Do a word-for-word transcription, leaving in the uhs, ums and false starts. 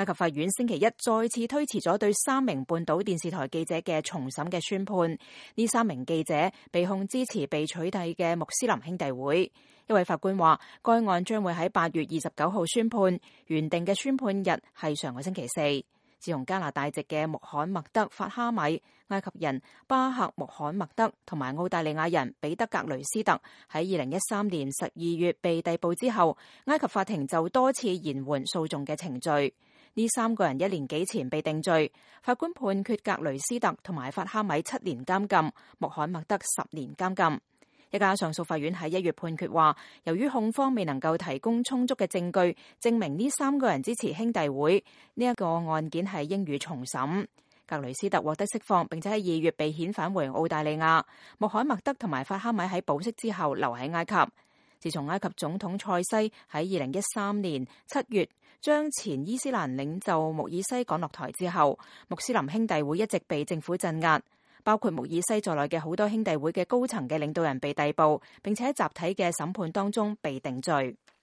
埃及法院星期一再次推遲咗對三名半島電視台記者嘅重審嘅宣判。呢三名記者被控支持被取締嘅穆斯林兄弟會。一位法官話，該案將會喺八月二十九號宣判，原定嘅宣判日係上個星期四。自從加拿大籍嘅穆罕默德·法哈米、埃及人巴赫穆罕默德同埋澳大利亞人彼得格雷斯特喺二零一三年十二月被逮捕之後，埃及法庭就多次延緩訴訟嘅程序。呢三個人一年幾前被定罪，法官判決格雷斯特同埋法哈米七年監禁，穆罕默德十年監禁。一家上訴法院喺一月判決話，由於控方未能夠提供充足嘅證據證明呢三個人支持兄弟會，呢一個案件係應予重審。格雷斯特獲得釋放，並且喺二月被遣返回澳大利亞。穆罕默德同埋法哈米喺保釋之後留喺埃及。自從埃及總統塞西喺二零一三年七月將前伊斯蘭領袖穆爾西趕落台之後，穆斯林兄弟會一直被政府鎮壓。包括穆爾西在內嘅好多兄弟會嘅高層嘅領導人被逮捕，並且喺集體嘅審判當中被定罪。